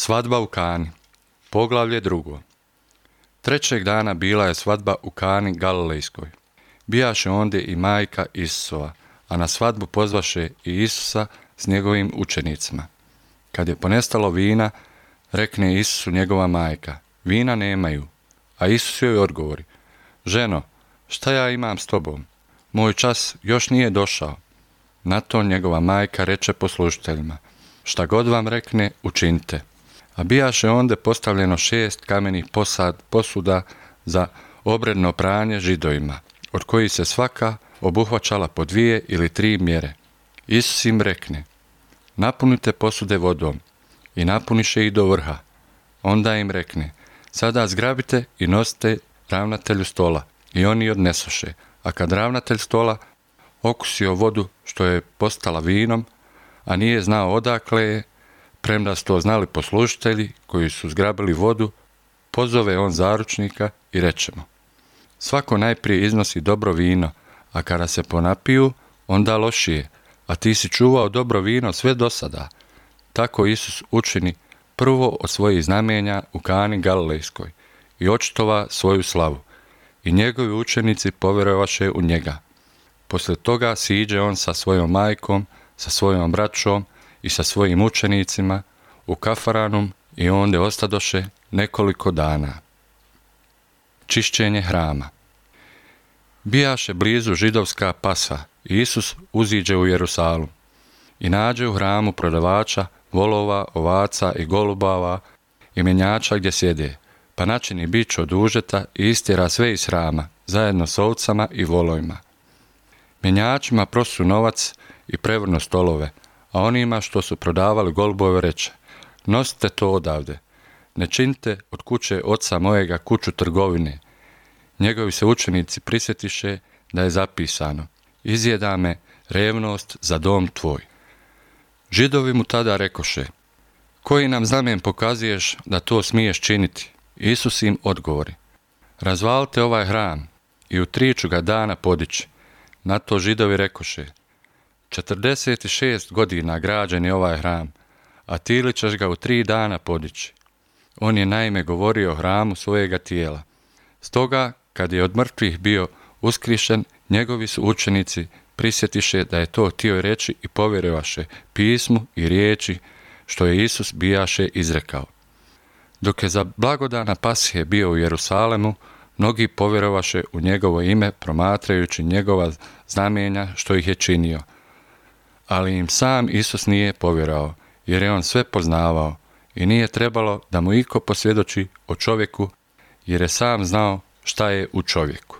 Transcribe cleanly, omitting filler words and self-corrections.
Svadba u Kani, poglavlje 2. Trećeg dana bila je svadba u Kani Galilejskoj. Bijaše ondje i majka Isusova, a na svadbu pozvaše i Isusa s njegovim učenicima. Kad je ponestalo vina, rekne Isusu njegova majka: vina nemaju. A Isus joj odgovori: ženo, šta ja imam s tobom? Moj čas još nije došao. Na to njegova majka reče poslužiteljima: šta god vam rekne, učinite. A bijaše onda postavljeno 6 kamenih posuda za obredno pranje Židovima, od kojih se svaka obuhvaćala po 2 ili 3 mjere. Isus im rekne: napunite posude vodom, i napuniše ih do vrha. Onda im rekne: sada zgrabite i nosite ravnatelju stola. I oni odnesoše. A kad ravnatelj stola okusio vodu što je postala vinom, a nije znao odakle je, premda su to znali poslužitelji koji su zgrabili vodu, pozove on zaručnika i reče mu: svako najprije iznosi dobro vino, a kada se ponapiju, onda lošije, a ti si čuvao dobro vino sve do sada. Tako Isus učini prvo od svojih znamenja u Kani Galilejskoj i očitova svoju slavu, i njegovi učenici povjerovaše u njega. Poslije toga siđe on sa svojom majkom, sa svojom braćom i sa svojim učenicima u Kafarnaum i onde ostadoše nekoliko dana. Čišćenje hrama. Bijaše blizu židovska Pasa i Isus uziđe u Jerusalim i nađe u hramu prodavača volova, ovaca i golubava i mjenjača gdje sjede, pa načini bič od užeta i istjera sve iz hrama, zajedno s ovcama i volovima. Mjenjačima prosu novac i prevrnu stolove, a onima što su prodavali golubove reče: nosite to odavde, ne činite od kuće oca mojega kuću trgovine. Njegovi se učenici prisjetiše da je zapisano: izjeda me revnost za dom tvoj. Židovi mu tada rekoše: koji nam znamen pokazuješ da to smiješ činiti? Isus im odgovori: razvalite ovaj hram i u 3 ću ga dana podići. Na to Židovi rekoše: 46 godina građen je ovaj hram, a ti li ćeš ga u 3 dana podići? On je naime govorio o hramu svojega tijela. Stoga, kad je od mrtvih bio uskrišen, njegovi su učenici prisjetiše da je to htio reći i povjerovaše pismu i riječi što je Isus bijaše izrekao. Dok je za blagodana Pashe bio u Jerusalemu, mnogi povjerovaše u njegovo ime promatrajući njegova znamenja što ih je činio. Ali im sam Isus nije povjerovao, jer je on sve poznavao i nije trebalo da mu iko posvjedoči o čovjeku, jer je sam znao šta je u čovjeku.